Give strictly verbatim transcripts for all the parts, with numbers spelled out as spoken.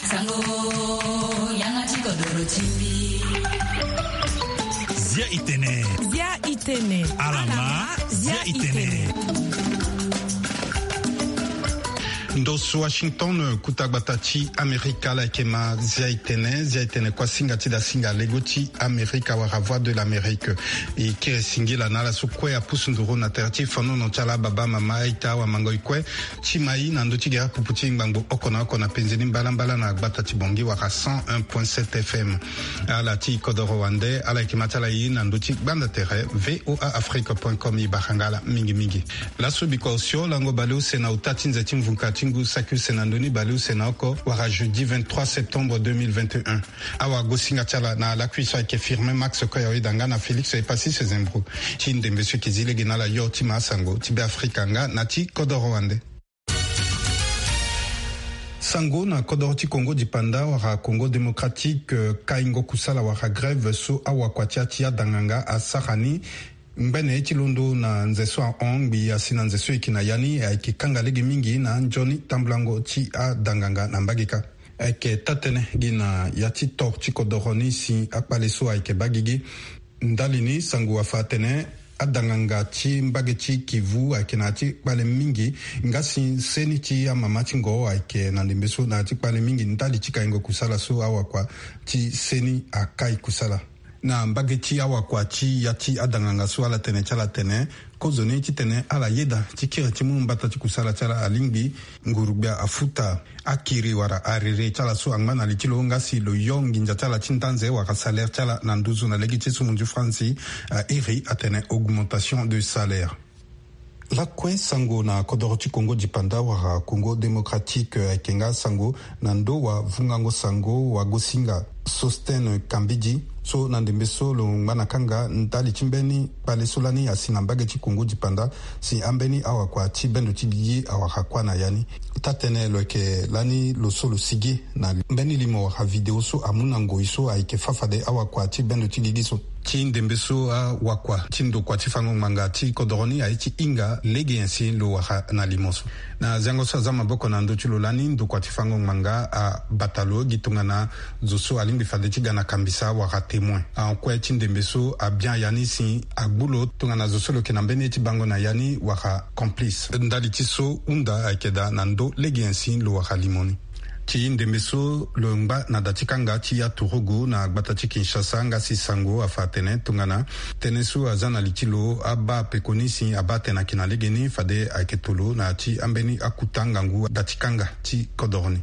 Sango, yanga ti kodoro ti mbi. Zia i tene. Zia i tene. Ala ma, zia i tene. Ndo so Washington, kuta gbata ti Amerika, ala yeke ma zia i tene. Zia i tene kua singa ti da singa lego ti Amerika wala Voix de l'Amérique. E kiri singila na ala so kue apusu nduru na tere ti fanono ti ala, baba, mama, aita, awamangoi kue, ti ma i na ndö ti gere pupu ti ngbangbo oko na oko na penze ni mbalambala na gbata ti Bangui wala cent un point sept F M. Ala ti kodoro wande, ala yeke ma ti ala i na ndö ti gbanda tere V O A Afrique point com. E bara nga ala mingi mingi. Laso bikua osio lango baleuse na ota ti nze ti mvuka ti ngu saki use na ndö ni baleuse na oko wala jeudi vingt-trois septembre deux mille vingt et un. Awagosinga ti ala na lakui so ayeke Firmin Max Koya, oyeda nga na Félix Epassis Sezembro. Ti ndembe so e yeke zi lege na ala yo ti ma asango ti Beafrika nga na ti kodoro wande. Sango na kodoro ti Congo dipanda wala Congo démocratique, eh, kaingo kusala wala grève so awakua ti ya ti adanganga asara ni ngbene ti londo na nze so ahon ngbii asi na nze so e yeke na ya ni ayeke kanga lege mingi na nzoni tambulango ti adanganga na mbage kâ. Ayeke taa-tënë gi na ya ti tor ti kodoro ni si akpale so ayeke baa gigi. Ndali ni sango afa atene adanganga ti mbage ti Kivu ayeke na ya ti kpale mingi, nga si seni ti amama ti ngo ayeke na ndembe so na ya ti kpale mingi ndali ti kaingo kusala so awakua ti seni akai kusala. Na mbage ti awakua ti ya ti adanganga so ala tene ti ala tene kozoni titene ala yeda ti kiri ti mu mbata ti kusala ti ala alingbi nguru-gbia afuta akiri wala arere ti ala so angba na li ti lo nga si lo yo nginza ti ala ti ndanze wala salaire ti ala na nduzu na lege ti so munzu franzi, a iri atene augmentation de salaire. Lakue sango na kodoro ti Congo dipanda wala Congo démocratique, eh, ayeke nga sango na ndo wavungango sango wagosinga Sostene Kambidi so na ndembe so lo ngba na kanga ndali ti mbeni kpale so lani asi na mbage ti Congo dipanda si ambeni awakua ti bendo ti gigi awara kuâ na ya ni. Taa-tënë lo yeke lani lo so lo sigi na mbeni limo wala video so amu na ngoi so ayeke fâ fade awakua ti bendo ti gigi so. Ti ndembe so awakua ti ndokua ti fango ngbanga ti kodoro ni aye ti hinga lege nyen si lo wara na limo so. Na zengo so aza maboko na ndö ti lo lani, ndokua ti fango ngbanga abata lo gi tongana zo so alingbi fade ti ga na kambisa wala témoin. Ahon kue ti ndembe so abia ya ni si agbu lo tongana zo so lo yeke na mbeni ye ti bango na ya ni wala complice. Ndali ti so hunda ayeke daa na ndö lege nyen si lo wara limo ni. Ti ndembe so lo ngba na da ti kanga ti ya turugu na gbata ti Kinshasa nga si sango afa atene tongana tënë so aza na li ti lo abaa peko ni si abaa tene ayeke na legeni fade ayeke tolo na ya ti ambeni akuta ngangu da ti kanga ti kodoro ni.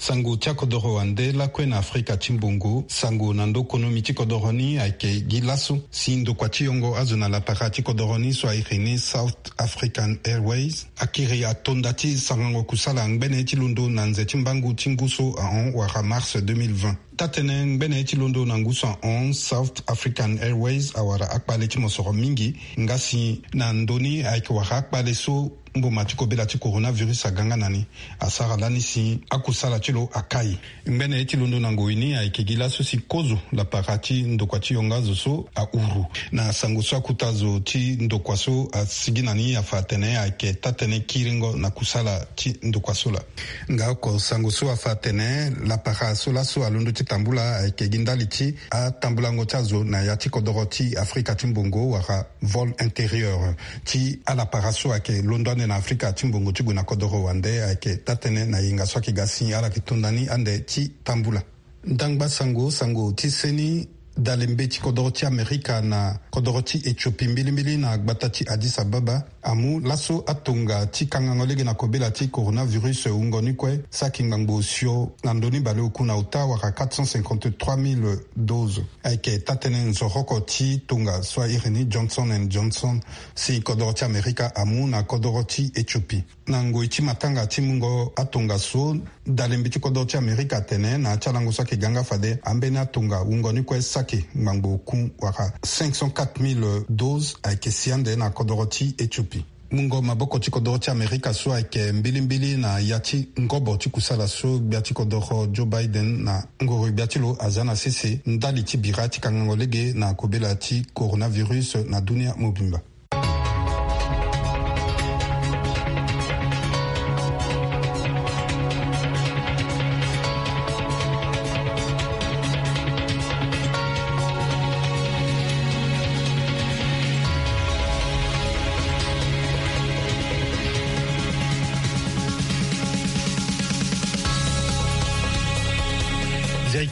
Sango ti akodoro wande lakue na Afrika ti mbongo, sango na ndö konomi ti kodoro ni ayeke gi laso si ndokua ti yongo azo na lapara ti kodoro ni so airi ni South African Airways akiri atonda ti sarango kusala ngbene ti londo na nze ti mbangu ti ngu so ahon wala mars deux mille vingt. Taa-tënë ngbene ti londo na ngu so ahon, South African Airways awara akpale ti mosoro mingi nga si na ndö ni ayeke wara akpale so mboma ti kobela ti coronavirus aga nga na ni. Asara lani si akusala ti lo akai. Ngbene ye ti londo na ngoi ni ayeke gi laso si kozo lapara ti ndokua ti yongo azo so ahuru. Na sango so akuta zo ti ndokua so asigi na ni afa atene ayeke taa-tënë kiringo na kusala ti ndokua so laa. Nga oko sango so afa atene lapara so laso alondo ti tambula ayeke gi ndali ti atambulango ti azo na ya ti kodoro ti Afrika ti mbongo wala vol intérieur ti alapara so ayeke londo ande na Afrika ti mbongo ti gue na kodoro wande ayeke taa-tënë na yenga so ayeke ga si ala yeke to ndani ande ti tambula. Ndangba sango, sango ti seni, dalembe ti kodoro ti Amerika na kodoro ti Ethiopie mbilimbili na gbata ti Addis Ababa amu laso atonga ti kangango lege na kobela ti coronavirus wungo ni kue saki ngbangbo osio na ndö ni baleoku na ota wala quatre cent cinquante-trois mille doses. Ayeke taa-tënë nzoroko ti tonga so airi ni Johnson and Johnson si kodoro ti Amerika amu na kodoro ti Ethiopie. Na ngoi ti matanga ti mungo atonga so, dalembe ti kodoro ti Amerika atene na ya ti alango so ayeke ga nga fade ambeni atonga wungo ni kue saki ngbangbo oku wala cinq cent quatre mille doses ayeke si ande na kodoro ti Ethiopie. Mungo maboko ti kodoro ti Amerika so ayeke mbilimbili na ya ti ngobo ti kusala so gbia ti kodoro Joe Biden na ngoro gbia ti lo aza na sese ndali ti bira ti kangango lege na kobela ti coronavirus na dunia mobimba.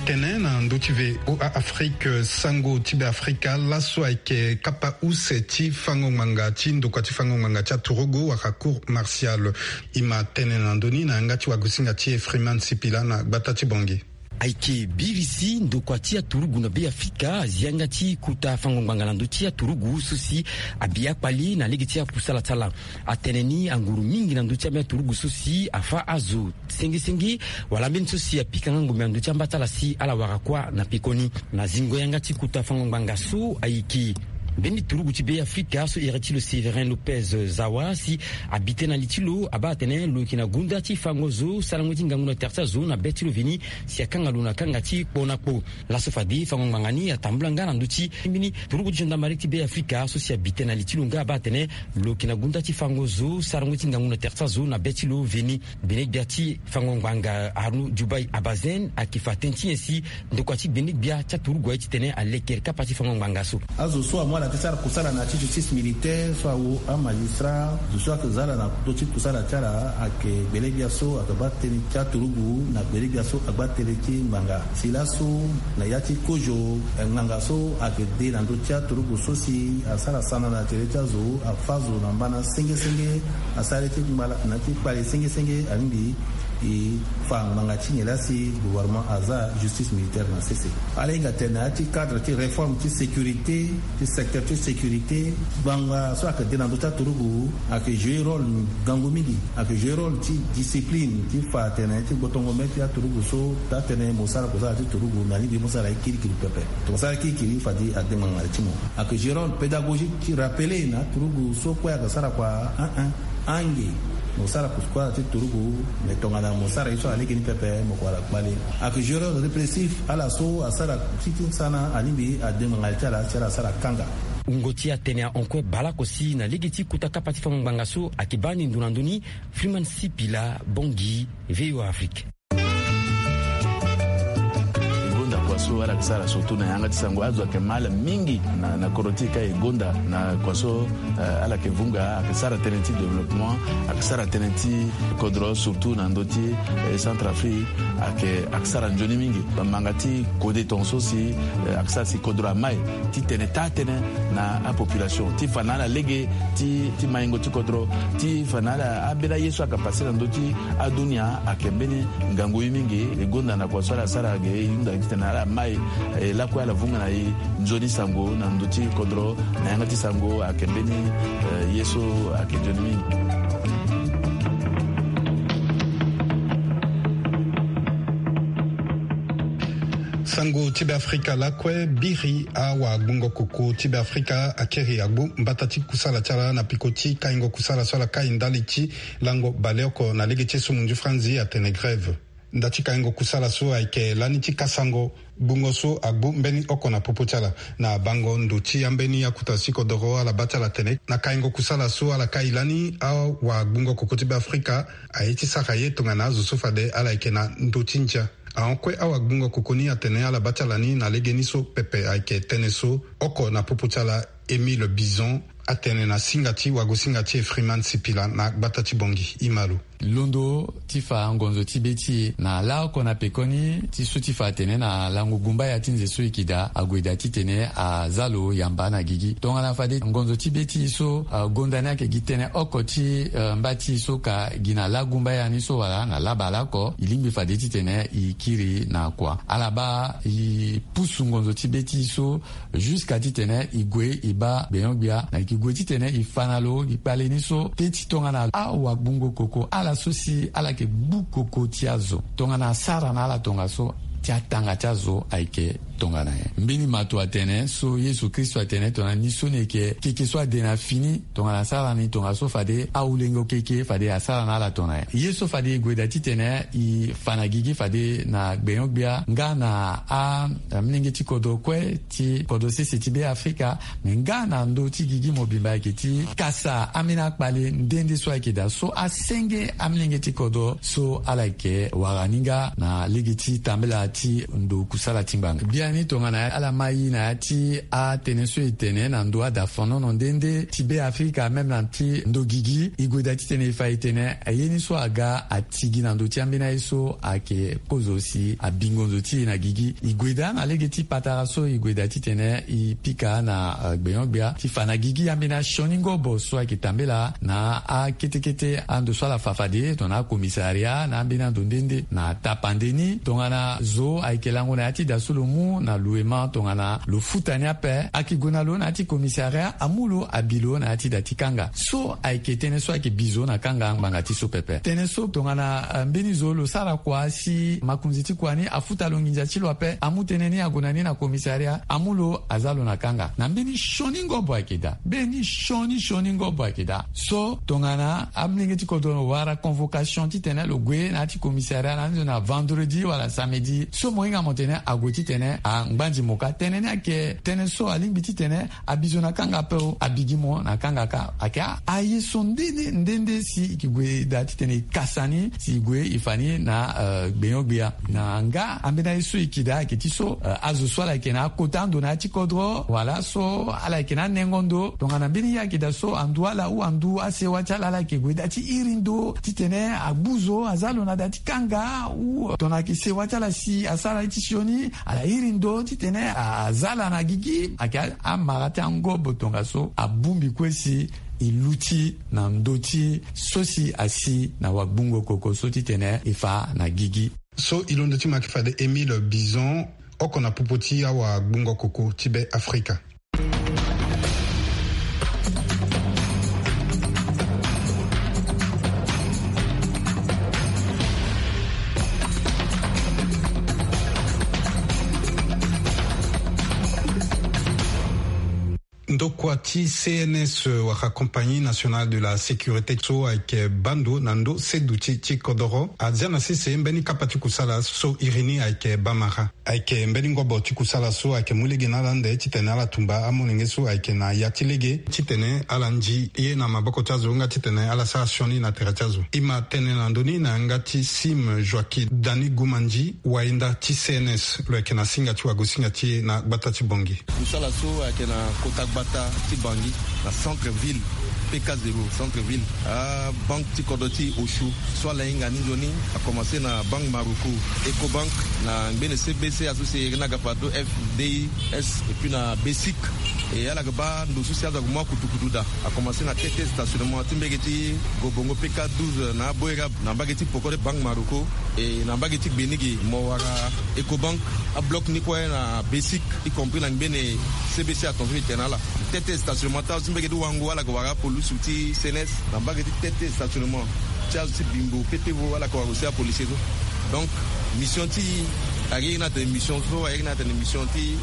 Tene na ndö ti V O A Afrique, sango ti Be Afrika laso ayeke kapa use ti fango ngbanga ti ndokua ti fango ngbanga ti aturugu wala cour martial. E ma tene na ndö ni na yanga ti wagosinga ti Freeman Sipila na gbata ti Bongi. Ayeke biri si ndokua ti aturugu na Be Afrika azi yanga ti kota fango ngbanga na ndö ti aturugu so si abi akpali na lege ti akusala ti ala. Atene ni anguru mingi na ndö ti ambeni aturugu so si afâ azo senge senge, wala ambeni so si apika nga ngombe na ndö ti amba ti ala si ala wara kuâ na pekoni. Na zingo yanga ti kota fango ngbanga so ayeke mbeni turugu ti Be Afrika so iri ti lo Séverin Lopez Zawa si abi tënë na li ti lo abaa atene lo yeke na gunda ti fango zo sarango ti ngangu na tere ti azo na be ti lo veni si akanga lo na kanga ti kpo na kpo. Laso fade fango ngbanga ni atambula nga na ndö ti mbeni turugu ti gendarmerie ti Be Afrika so si abi tënë na li ti lo nga abaa atene lo yeke na gunda ti fango zo sarango ti ngangu na tere ti azo na be ti lo veni. Gbene gbia ti fango ngbanga Arnaud Dubai Abazen ayeke fa tënë ti nyen si ndokua ti gbene gbia ti aturugu aye titene alekere kapa ti fango ngbanga so. Azo so amu ala ti sara kusala na ya ti justice militaire so awo amagistrat, zo so ayeke za ala na ndö ti kusala ti ala ayeke gbele gbia so ayeke baa tënë ti aturugu na gbele gbia so agbaa tënë ti ngbanga. Si laso na ya ti kozo, eh, ngbanga so ayeke de na ndö ti aturugu so si asara sana na tere ti azo, afâ zo na mbana senge senge, asara ye ti ngbala na ti kpale senge senge, alingbi e fa ngbanga ti nyen laa si gouvernement aza justice militaire na sese. Ala hinga tene na ya ti cadre ti réforme ti sécurité, ti secteur ti sécurité, ngbanga so ayeke de na ndö ti aturugu ayeke jouer rôle ngangu mingi. Ayeke jouer rôle ti discipline ti fa atene ti gbotongo mbeni ti aturugu so taa tënë mo sara kusala ti turugu me alingbi mo sara ye kirikiri pepe. Tongana mo sara ye kirikiri fade ade ngbanga na li ti mo. Ayeke jouer rôle pédagogique ti rappeler na aturugu so kue ayeke sara kua, un un, ange mo sara kusala ti turugu, me tongana mo sara ye so alege ni pepe mo kua ala kpale. Ayeke jouer rôle répressif, ala so asara ti ti sana alingbi ade ngbanga na li ti ala si ala sara kanga. Wungo ti atene ahon kue baleoko si na lege ti kota kapa ti fango ngbanga so ayeke baa ni ndo na ndö ni. Freeman Sipila, Bongi, V O A Afrique. E gonda kua so ala yeke sara surtout na yanga ti sango, azo ayeke ma ala mingi na, na kodro ti e ka e gonda na kua so, eh, ala yeke vunga, ayeke sara tënë ti développement, ayeke sara tënë ti kodro surtout na ndö ti, eh, Centrafrique, ayeke, ayeke sara nzoni mingi. Bamanga ti kode tongaso si, eh, ayeke sara si kodro amai ti tene taa tënë na apopulation ti fa na ala lege ti, ti maingo ti kodro, ti fa na ala ambeni aye so ayeke pase na ndö ti adunia ayeke mbeni ngangu ye mingi. E gonda na kua so ala sara ge e hunda titene ala mai, e lakue ala vunga na e nzoni sango na ndö ti kodro na yanga ti sango ayeke mbeni, eh, ye so ayeke nzoni mingi. Sango ti Be Afrika lakue biri awagbungo koko ti Be Afrika akiri agbu mbata ti kusala ti ala na peko ti kaingo kusala so ala kai ndali ti lango baleoko na lege ti esumu nzu franzi atene grève. Nda ti kaingo kusala so ayeke lani ti kasango gbungo so agbu mbeni oko na popo ti ala na bango ndo ti ambeni akuta ti kodoro ala baa ti ala tene na kaingo kusala so ala kai lani awagbungo koko ti Be Afrika aye ti sara ye tongana azo so fade ala yeke na ndo ti ndia. Ahon kue awagbungo koko ni atene ala baa ti ala ni na legeni so pepe ayeke tënë so oko na popo ti ala Émile Bison atene na singa ti wagosinga ti Freeman Sipila na gbata ti Bongi. E ma lo. Londo ti fa ngonzo ti be ti e na laoko na pekoni ti su ti fa atene na lango gumbaya ti nze so e yeke daa ague daa titene aza lo yamba na gigi. Tongana fade ngonzo ti be ti e so, ah, gonda ni ayeke gi tënë oko ti, eh, mba ti e so ka gi na lagumbaya ni so wala na labaleoko, e lingbi fade titene e kiri na kua. Ala baa e pusu ngonzo ti be ti e so jusqu'à titene e gue e baa gbenyo-gbia na e yeke gue titene e fa na lo gi kpale ni so te ti tongana awagbungo koko ala so si ala yeke gbu koko ti azo tongana asara na ala tongaso ti atanga ti azo ayeke tongana nyen. Mbeni mato atene so Yesu Kristo atene tongana ni so ni yeke keke so ade na fini tongana asara ni tongaso fade awulengo keke fade asara na ala tongana nyen. Ye so fade e gue daa titene e fa na gigi fade na gbenyo-gbia nga na a, amolenge ti kodro kue ti kodro sese ti Be Afrika, me nga na ndö ti gigi mobimba ayeke ti kasa ambeni akpale nde nde so ayeke daa so asenge amolenge ti kodro so ala yeke wara ni nga na lege ti tambela ti ndo kusala ti ngbanga. Bia Ni tongana ala ma i na ya ti atene so e tene na ndo adafanono nde nde ti be afrika, même na ti ndo gigi, e gue daa titene e fa e tene aye ni so aga atigi na ndo ti ambeni aye so ayeke kozo si abingo nzo ti e na gigi. E gue daa na lege ti patara so e gue daa titene e pika na, eh, gbenyo-gbia ti fa na gigi ambeni asioni ngobo so ayeke tambela na akete kete ando so ala fa fade tongana akomisaria na ambeni ando nde nde na tapande ni. Tongana zo ayeke lango na ya ti da so lo mu na luema tongana lo futa ni ape, ayeke gue na lo na ya ti komisaria, amu lo abi lo na ya ti da ti kanga. So ayeke tënë so ayeke bi zo na kanga ngbanga ti so pepe. Tënë so tongana, eh, mbeni zo lo sara kua si makonzi ti kua ni afuta lo nginza ti lo ape, amu tënë ni ague na ni na komisaria, amu lo aza lo na kanga. Na mbeni sioni ngobo ayeke daa. Mbeni sioni sioni ngobo ayeke daa. So tongana amolenge ti kodro wara convocation titene lo gue na ya ti komisaria na ndo na vendredi wala samedi, so mo hinga mo tene ague titene angbanzi mo kâ. Tënë ni ayeke tënë so alingbi titene abi zo na kanga ape o, abi gi mo na kanga kâ. Ayeke a, aye so nde nde nde nde si e ke gue daa titene e kasa ni si e gue e fa ni na, eh, gbenyo-gbia. Na nga ambeni aye so e ke daa ayeke ti so, eh, azo so ala yeke na akota ando na ya ti kodro wala so ala yeke na anengo ndo, tongana mbeni ye ayeke daa so andu ala ou andu asewa ti ala, ala yeke gue daa ti iri ndo titene agbu zo aza lo na daa ti kanga ou tongana ayeke sewa ti ala si asara ye ti sioni, ala iri ndo titene aza ala na gigi. Ayeke a, amara ti angobo tongaso abongbi kue si e luti na ndö ti so si asi na wagbungo koko so titene e fa na gigi. So e londo ti ma yeke fade Émile Bison, oko na popo ti awagbungo koko ti be Afrika. Ndokua ti C N S wala Compagnie Nationale de la Sécurité so ayeke baa ndo na ndö seduti ti kodoro azia na sese mbeni kapa ti kusala so iri ni ayeke bamara. Ayeke mbeni ngobo ti kusala so ayeke mu lege na ala ande titene ala tumba amolenge so ayeke na ya ti lege titene ala ndi ye na maboko ti azo nga titene ala sara sioni na tere ti azo. E ma tene na ndö ni na yanga ti Sim Joaquim Dani Gumandi, wayenda ti C N S lo yeke na singa ti wagosinga ti e na gbata ti Bangui. Kusala so ayeke na kota gbata ti Bangui, na centre ville, P K zéro, centre ville, abanke ti kodro ti Oshu so ala hinga ni nzoni, akomanse na Banque Maroco, Ecobank, na ngbene C B C, aso si e iri ni aga fade F D I S, et puis na BECIC. E ala yeke baa ndo so si azo ayeke mu akutukutu daa. Akomanse na T T stationnement ti mbage ti Gobongo P K douze na Aboerab, na mbage ti poko ti Banque Maroco, e na mbage ti gbe ni ge mo wara Ecobank. Abloc ni kue na BECIC, y compris na ngbene C B C atongaso e tene na ala. T T stationnement ti azo ti mbage ti Wango, ala yeke wara apolusu ti C N S. Na mbage ti T T stationnement ti azo ti Bimbo, P T V, ala yeke wara aussi apolisier so. Donc mission ti e, a iri ni atene mission so, a iri ni atene mission ti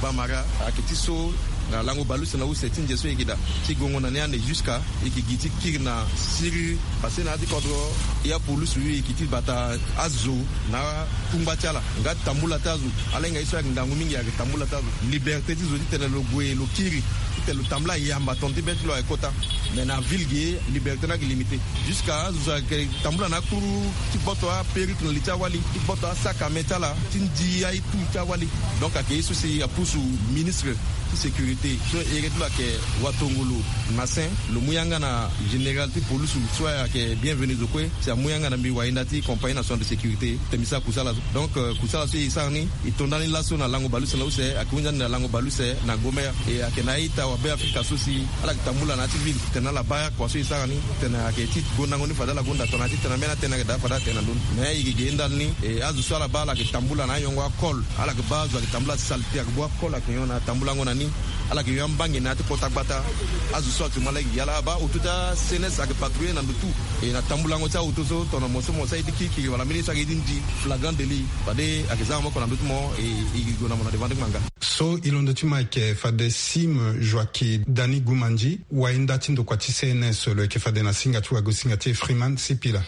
bamara, ayeke ti so na lango baleuse na use ti nze so e yeke daa, ti gongo na ni ande jusqu'à e yeke gi ti kiri na siriri. Parce que na ya ti kodro, e apolusu e yeke ti bata azo na akungba ti ala nga tambula ti azo. Ala hinga ye so ayeke ngangu mingi, ayeke tambula ti azo. Liberté ti zo titene lo gue lo kiri, titene lo tambula yamba tongana ti be ti lo ayeke kota. Mais na ville ge, liberté ni ayeke limité. Jusqu'à azo so ayeke tambula na akuru ti boto apérique na li ti awali, ti boto asac à main ti ala, ti ndi aye tout ti awali. Donc ayeke ye so si apusu ministre ti sécurité so ere ti lo ayeke watongolo Massin, lo mu yanga na général ti polusu so ayeke Bienvenu Zokwe, si amu yanga na mbi wayenda ti Compagnie Nationale de Sécurité, titene mbi sara kusala so. Donc, euh, kusala so e sara ni, e to ndani laso na lango baleuse na use, ayeke hunda ni na lango baleuse na Gomère. E ayeke na a-ita wa Beafrika so si ala yeke tambula na ya ti ville, titene ala baa kua so e sara ni, titene ayeke ti gondango ni fade ala gonda tongana ti tene ambeni atënë ayeke daa fade atene na ndö ni. Mais e yeke ge ndani ni, e azo so ala baa ala yeke tambula na ayongo akol, ala yeke baa azo ayeke tambula saleté, ayeke bua akol ayeke nyon na tambulango na ni. Ala yeke yo ambangi na ya ti kota gbata. Azo so actuellement ala yeke gi ala abaa auto ti a C N S ayeke patrouiller na ndo tout. E na tambulango ti aoto so tongana mo so mo sara ye ti kirikiri wala mbeni ye so ayeke ye ti ndi, flagrant délit, fade ayeke za na maboko na ndö ti mo, e e yeke gue na mo na devant ti ngbanga. So e londo ti ma ayeke fade Sim Joaquim Dani Gumandi, wayenda ti ndokua ti C N S lo yeke fade na singa ti wagosinga ti e Freeman Sipila.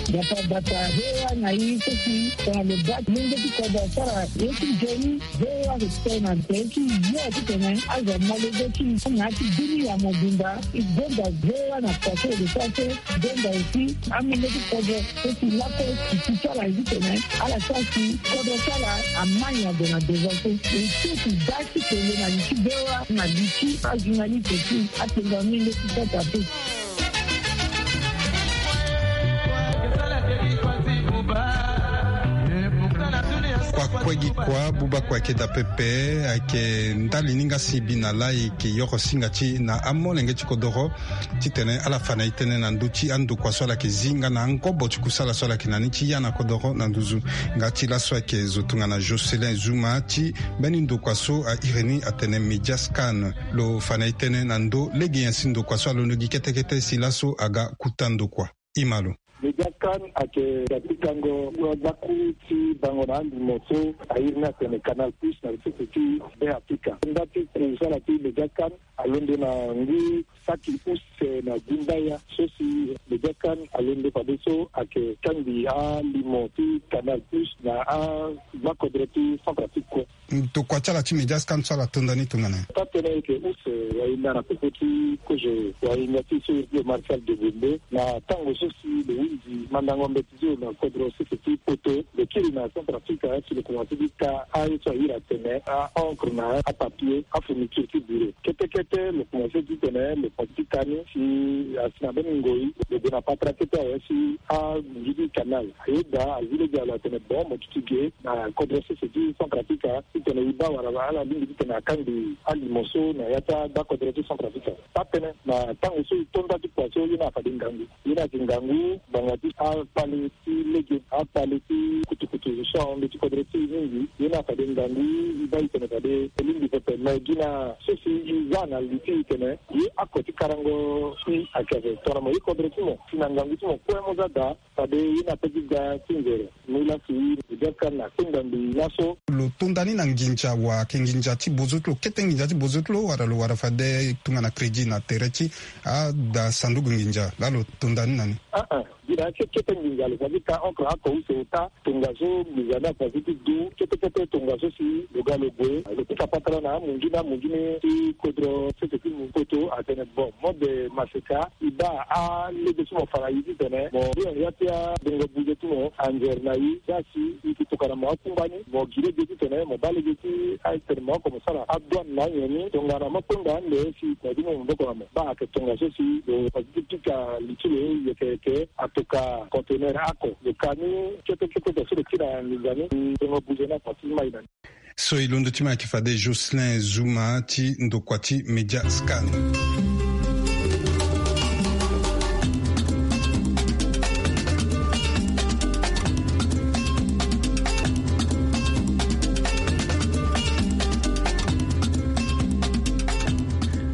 Bata bata V O A na i so si tongana lo baa ti lenge ti kodro asara ye ti nzoni. V O A ayeke tene na tere ti yo titene azo amolenge ti na ya ti bini ya mobimba. E gonda V O A na kua so e lo sara so. E gonda aussi amolenge ti kodro so si laso e si ti ala ye titene ala sara si kodro ti ala ama nyango na devant so. E so si baa ti tene na li ti V O A na li ti ajournaliste ti atenga mingi ti Centrafrique. Kua kue gi kua, buba kue ayeke daa pepe. Ayeke ndali ni nga si e bi na laa e yeke yoro singa ti e na amolenge ti kodoro titene ala fa na e tënë na ndö ti andokua so ala yeke zi nga na angobo ti kusala so ala yeke na ni ti ya na kodoro na nduzu. Nga ti laso ayeke zo tongana Jocelyn Zuma ti mbeni ndokua so a iri ni atene Mediascan. Lo fa na e tënë na ndö lege nyen si ndokua so alondo gi kete kete si laso aga kuta ndokua. Ima lo. Mediascan ayeke ga ti gango so agbaku ti bango na alimo so a iri ni atene Canal Plus na sese ti Be Afrika. Nda ti kusala ti Mediascan alondo na ngu saki use na gumbaya so si Mediascan alondo fadeso ayeke kangbi alimo ti Canal Plus na agbakodro ti Centrafrique kue. Ndokua ti ala ti Mediascan so ala tonda ni tongana nyen? Taa-tënë ayeke use wahinda na popo ti kozo wahinda ti so iri ti lo Marcel Degonde na tango so si lo hunzi mandango mbeti ti lo na kodro sese ti poto. Lo kiri na Centrafrique si lo komanse ti ka aye so a iri atene a-encre na apapier, afourniture ti biro. Kete kete lo komanse titene lo komanse ti ka ni si asi na mbeni ngoi lo gue na patara kete awe si angu ti canal. Ayeda azi lege na lo atene bon mo duti ge na kodro sese ti Centrafrique titene e baa wala ala lingbi titene akangbi alimo so na ya ti agbakodro ti Centrafrique. Taa-tënë na tango so e to nda ti kua so ye ni afade ngangu. Ye ni ayeke ngangu ngbanga ti akpale ti lege, akpale ti kutukutu so ahon ndö ti kodro ti e mingi. Ye ni afade ngangu e baa e tene fade e lingbi pepe. Me gi na so si e za na li ti e tene ye ako ti karango si ayeke ape tongana mo ye kodro ti mo si na ngangu ti mo kue mo za daa. Fade ye ni ape ti ga ti nzere. Mu laa si e ga ka na kpengba mbi laso. Lo tonda ni na nginza wa ayeke nginza ti bozo ti lo, kete nginza ti bozo ti lo, wala lo wara fade tongana crédit na tere ti ada sanduku nginza laa lo tonda ni na ni? Aa, gi na ya ti kete nginza lo fa ti ka encre ako use ota. Tongaso nginza ni afa ti du kete kete tongaso si lo ga lo gue lo pika patara na amunzu ni, amunzu ni ti kodro sese ti poto atene bon, mode maseka e baa alege ti mo fa na e titene mo ya ti abongo buze ti mo anzere na e. Za si e yeke tokana mo akungba ni, mo gi lege titene mo baa lege ti atene mo oko mo sara adouane na anyen ni. Tongana mo kpengba ande si mo du mo maboko na mo. Baa ayeke tongaso si lo fa ti pika li ti lo yeke yeke atoka conteneur ako. Lo ka ni kete kete so lo kiri na nginza ni, e bongo buze ni afa ti mai na ni. So e londo ti ma ayeke fade Jocelyn Zuma ti ndokua ti Mediascan.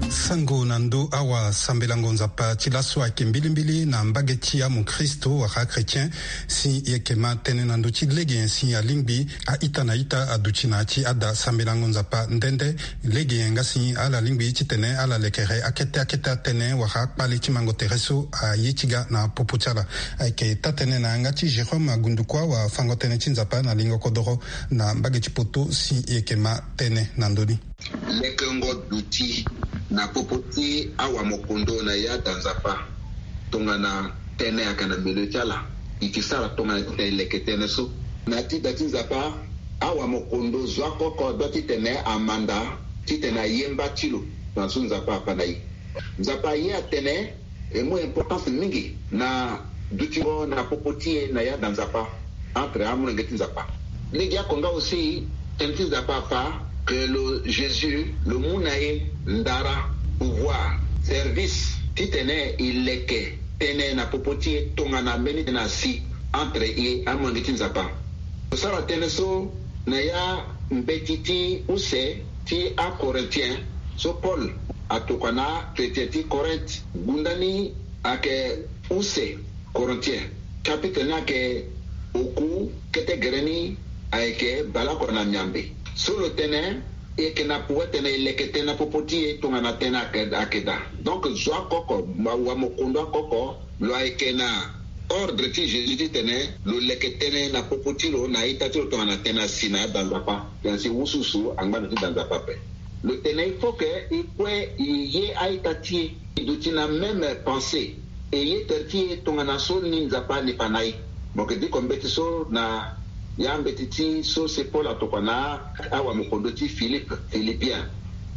Sango na ndö awasambelango Nzapa ti laso ayeke mbilimbili na mbage ti amokristo wala achrétien. Si e yeke ma tënë na ndö ti lege nyen si alingbi a-ita na ita aduti na ya ti ada sambelango Nzapa nde nde. Lege nyen nga si ala lingbi titene ala lekere akete akete atënë wala akpale ti mango tere so aye ti ga na popo ti ala. Ayeke taa-tënë na yanga ti Jérôme Agundukua wafango-tënë ti Nzapa na lingo kodoro na mbage ti poto si e yeke ma tënë na ndö ni. Lekengo duti na popo ti awamokondo na ya da Nzapa. Tongana tënë ayeke na milieu ti ala, e ke sara tongana titene e leke tënë so. Na ya ti da ti Nzapa, awamokondo zo oko oko doit titene amanda titene aye mba ti lo. Tongana so Nzapa afa na e, Nzapa aye atene e mu importance mingi na dutingo na popo ti e na ya da Nzapa entre amolenge ti Nzapa. Lege oko nga aussi tënë ti Nzapa afa que lo Jésus lo mu na e ndara, pouvoir, service titene e leke tënë na popo ti e tongana mbeni tënë asi entre e amolenge ti Nzapa. Lo sara tënë so na ya mbeti ti use ti aCorinthiens so Paul atokua na achrétien ti Corinthe. Gunda ni ayeke use Corinthiens, chapitre ni ayeke oku, kete gere ni ayeke baleoko na miambe. So lo tene e yeke na pouvoir titene e leke tënë na popo ti e tongana tënë ayeke, ayeke daa. Donc zo oko oko, awamokondo oko oko, lo ayeke na Ordre ti Jésus titene lo leke tënë na popo ti lo na a-ita ti lo tongana tënë asi na ada Nzapa. Tënë asi wusuwusu angba na ti da Nzapa ape. Lo tene il faut que e kue e ye a-ita ti e, e duti na même pensée, e ye tere ti e tongana so ni Nzapa ani fa na e. Mo yeke diko mbeti so na ya mbeti ti so si Paul atokua na awamokondo ti Philippe, Philippien.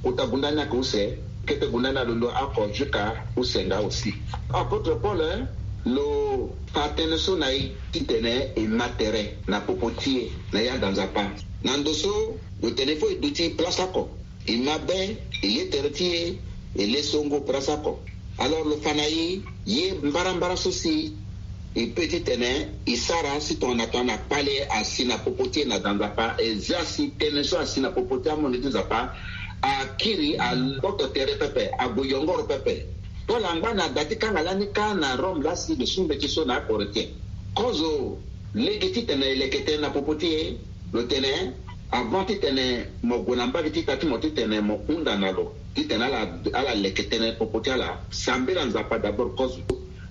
Kota gunda ni ayeke use, kete gunda ni alondo oko jusqu'à use nga aussi. Apôtre Paul, eh, lo fa tënë so na e titene e ma tere na popo ti e na ya da Nzapa. Na ndo so lo tene fo e duti place oko, e ma be, e ye tere ti e, e le songo place oko. Alors lo fa na e ye mbarambara so si e peut titene e sara si tongana tongana kpale asi na popo ti e na da Nzapa, e zia si tënë so asi na popo ti amondo ti Nzapa akiri, aloto tere pepe, ague yongoro pepe. Paul angba na da ti kanga lani kâ na Rome laa si lo su mbeti so na aKorinthien. Kozo lege titene e leke tënë na popo ti e, lo tene, avant titene mo gue na mbage ti ita ti mo titene mo hunda na lo titene ala, ala leke tënë popo ti ala, sambela Nzapa d'abord kozo.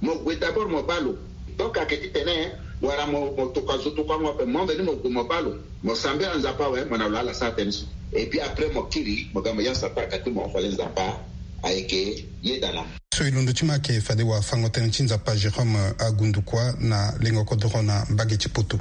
Mo gue d'abord mo baa lo. Donc ayeke titene wala mo, mo tokua zo tokuango ape, mo ambeni mo gue mo baa lo, mo sambela Nzapa awe, mo na lo ala sara tënë so. Et puis après mo kiri, mo ga mo ya Satan ayeke ti mo, fade Nzapa ayeke yeda na mo. So e londo ti mo ayeke fade wafango-tënë ti Nzapa Jérôme Agundu Kua na lengo kodoro na mbage ti Poto.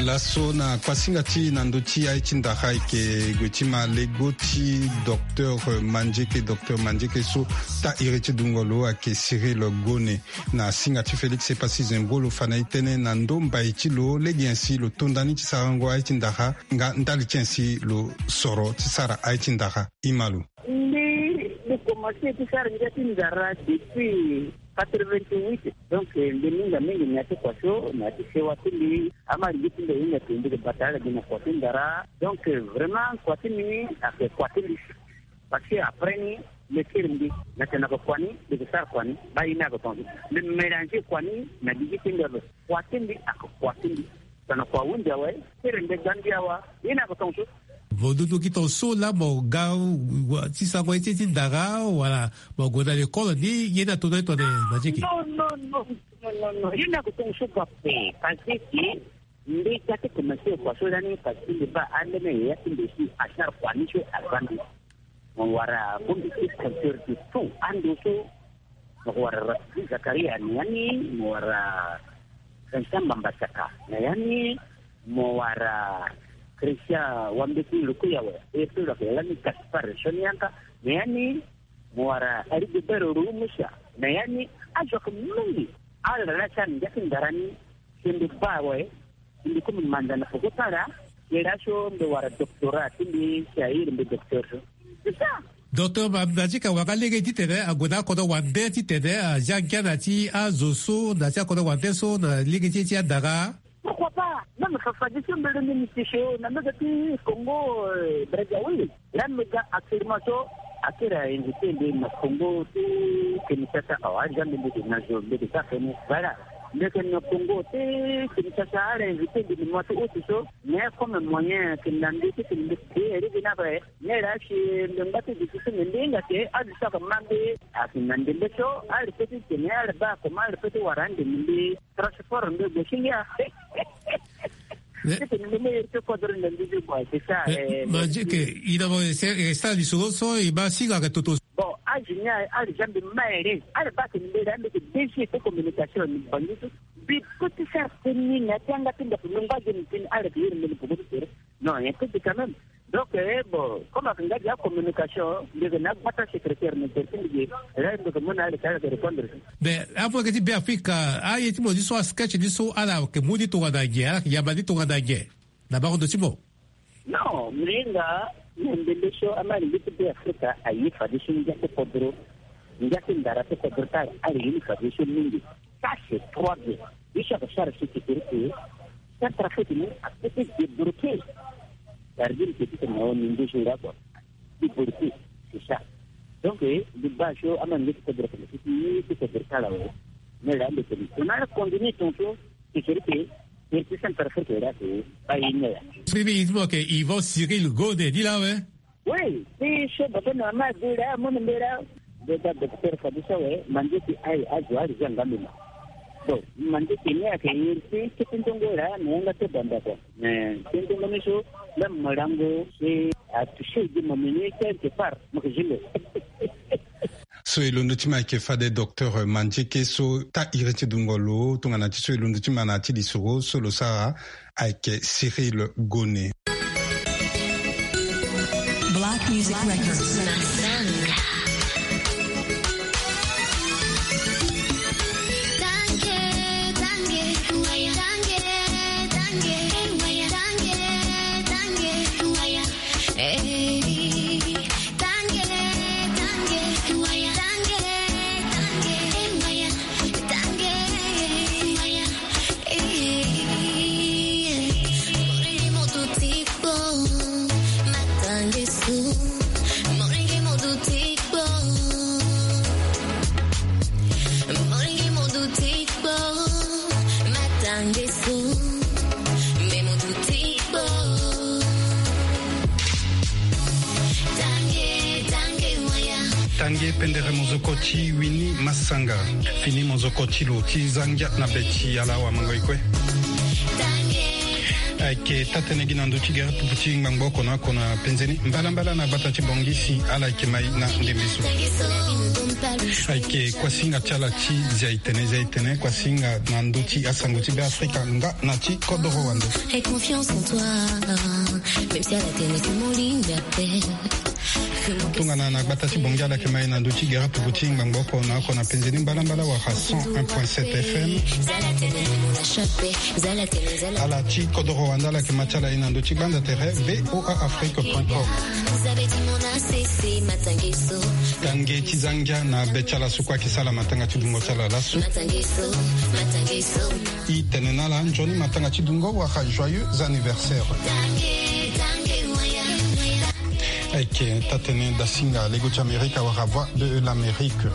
Laso na kuasinga ti na ndö ti aye ti ndara ayeke gue ti ma lego ti docteur Mandieke, docteur Mandieke so taa iri ti dungo lo ayeke Cyril Gone. Na singa ti Félix Epassi Zembro lo fa na e tënë na ndö mbai ti lo, lege nyen si lo to ndani ti sarango aye ti ndara, nga ndali ti nyen si lo soro ti sara aye ti ndara. Ima lo. Mbi, mbi komanse ti sara ngia ti ndara depuis quatre-vingt-huit. Donc, eh, mbi minga mingi na ya ti kua so, na ya ti sewa ti mbi. Ama lege ti mbi ahinga ti mbi ke bata ala gi na kua ti ndara. Donc, eh, vraiment, kua ti mbi ni ayeke kua ti mbi. Parce que après ni, mbi kiri mbi na tene na yeke kua ni, mbi ke sara kua ni, baa ye ni ayeke tongaso. Mbi mélanger kua ni na gigi ti mbi ape. Kua ti mbi ayeke kua ti mbi. Tongana kua ahunzi awe, kiri mbi ga mbi awa, ye ni ayeke tongaso. Mo dudu gi tongaso laa mo ga wa, ti sango ye ti, ti ndara, wala mo gue na lekole ni, ye ni ato na ye tongana Mandieke? Non, non, non, non, non, non. Ye ni ayeke tongaso kua ape, parce que mbi ga ti komanse kua so lani, parce que mbi baa ambeni yaya ti mbi si asara kua ni so aza mbi. Mo wara bongbi ti compteur de tout. Ando so, mo wara Rafiki Zakaria na ya ni, mo wara Vincent Mbamba Saka na ya ni, mo wara Christian Wambeti Lukuyawe, e pe lo yeke lani Gaspard Sonianka na ya ni, mo wara Rigobert Rumusa na ya ni. Azo ayeke mingi. Ala laa si ala na ngia ti ndara ni, si mbi baa awe, si mbi komi manza na peko ti ala, si laso mbi wara doctorat ti mbi, si a iri mbi docteur so. C'est ça. Docteur Ma-, Mandieke, wanga lege titene ague na akodro wande titene azia ngia na ya ti azo so, na ya ti akodro wande so, na lege ti, ti andara? Pourquoi pas? Même Fafa Diouf so mbi lingbi ti so na mbage ti Congo, euh, Brazzaville. Laa mbi ga actuellement so, akiri a invité mbi na Congo ti Kinshasa. Awa, aza mbi, mbi ke na zo, mbi ke sara feni. Voilà. Mbi ke na Congo ti Kinshasa, ala invité mbi na mois ti août so. Mais comme moyen ayeke na mbi titene mbi ke iri gi na ape. Mais laa si mbi ngba ti duti so, mbi hinga ke azo so ayeke ma mbi ayeke na ndembe so, ala peut ti tene, ala baa comment ala peut ti wara andembe mbi. Transport ndo gue si ngia. Mais, c'est ça, mais, eh, Mandieke, i na mo, c'est, eh, sara lisoro so, e ma singa ayeke toto. Bon, âge ni aye, ala zia mbi ma ere. Ala baa tene mbi laa mbi yeke D G ti communication na Bangui so. Mbi peut ti sara tënë ni na ya ti yanga ti ndako, mbi ngba ge ni tënë, ala yeke iri mbi na peko ti tere. Non, il y a un peu de quand même. Donc, eh, bon, comme avec Ngadia communication, le na gbata secrétaire ne peut plus dire, là, il faut que mon aile, ça, de répondre. Mais, avant que tu bien Afrique, ah, il y a tout le monde, soit sketch, soit à la, que Moudi Touadagé, hein, il y a Badi Touadagé. D'abord, de Timo. Non, mais là, il y a des choses, à ma limite, de Afrique, à y faire des choses, il y a des podros, il y a des ndara, des podros, à la limite, faire des choses, Ça, c'est trois bien. Biso ya kosara so ti kiri ke Centrafrique ni apeut ti débloquer. Gardien ke ti tene na o ni nduzu nga kua. Débloquer, c'est ça. Donc, eh, di baa so ama nge ti kodro kene ti ti ti kodro kala we. Mais là, le tene. On a continué ton show, c'est kiri ke, c'est Centrafrique là, c'est pas une heure. Sini, il faut que Yvan Cyril Godé dit là, ouais. Oui, ti so bafo na mama adu laa, amu na mbela. Beta docteur Fadusa we, manze ti aye azo ari za nga mema. Bon, manze ti ni ayeke iri ti kete ndongo laa, na yanga ti banda kua. Mais ti ndongo ni so, même molango, si atouché di mo meni quelque part, mo ke zile. So e londo ti ma ayeke fade docteur Mandieke so taa iri ti dungo lo, tongana ti so e londo ti ma na ya ti lisoro, so lo sara, ayeke Cyril Gone. Black Music Records. Tange pendere mozoko ti Winnie Massanga. Fini mozoko ti lo ti za ngia na be ti ala awamango e kue. Ayeke taa-tënë gi na ndö ti gere pupu ti ngbangbo oko na oko na penze ni mbalambala na gbata ti Bangui si ala yeke mai na ndembe so. Ayeke kuasinga ti ala ti zia e tene, zia e tene, kuasinga na ndö ti asango ti Beafrika nga na ti kodoro wande. Tongana na gbata ti Bangui ala yeke mai na ndö ti gere pupu ti ngbangbo oko na oko na penze ni mbalambala wala cent un point sept F M. Ala ti kodoro wande ala yeke ma ti ala e na ndö ti gbanda tere V O A Afrique point com. Tange ti za ngia na be ti ala so kue ayeke sara matanga ti dungo ti ala laso. E tene na ala nzoni matanga ti dungo wala joyeux anniversaire. Ayeke taa-tënë dasinga lego ti Amerika wala Voix de l'Amérique.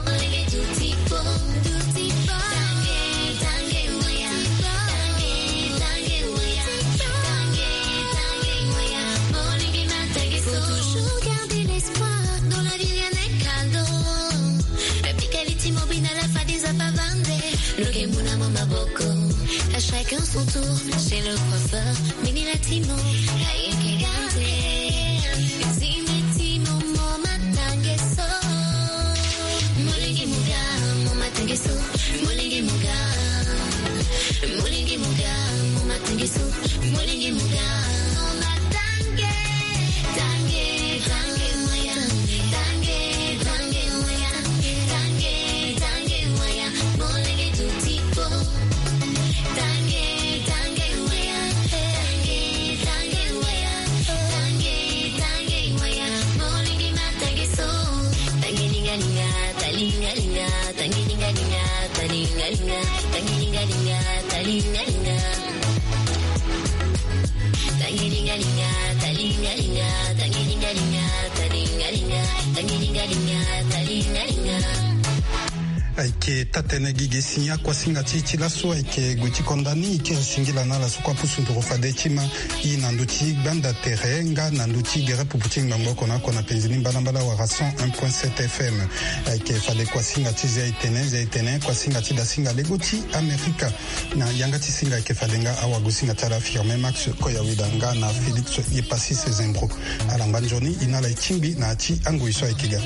Faut toujours garder l'espoir dans la vie, rien n'est cadeau. Pika li ti mo bina la fadi za pa vande. Lo ke mu na mo maboko. À chacun son tour, chez le coiffeur, mini la ti mo. Ayeke garde. Zime ti mo, mo matange so. Molenge mo ga, mo matange so. Molenge mo ga. Molenge mo ga, mo matange so. Molenge mo ga. Mo matange. Tange, tange, moya. Tange, tange, moya. Tange, tange, moya. Molenge tuti po. Tange, tange, moya. Tange, tange, moya. Tange, tange, moya. Molenge matange so. Tange linga linga, talinga linga. Tangi linga linga, talinga linga, tangi linga linga, talinga linga. Tangi linga linga, talinga linga, tangi linga linga, talinga linga, tangi linga linga, talinga linga. Ayeke taa-tënë gi ge si akuasinga ti e ti laso ayeke gue ti konda ni e kiri singila na ala so kue apusu nduru fade ti ma. E na ndö ti gbanda tere nga na ndö ti gere pupu ti ngbangbo oko na oko na penzi ni mbalambala wala cent un point sept F M. Ayeke fade kuasinga ti zia e tene, zia e tene, kuasinga ti dasinga lego ti Amerika. Na yanga ti singa ayeke fade nga awagosinga ti ala Firmin Max Koyaweda nga na Félix Yepassis Zembro. Ala ngba nzoni e na ala e tingbi na ya ti angoi so ayeke ga.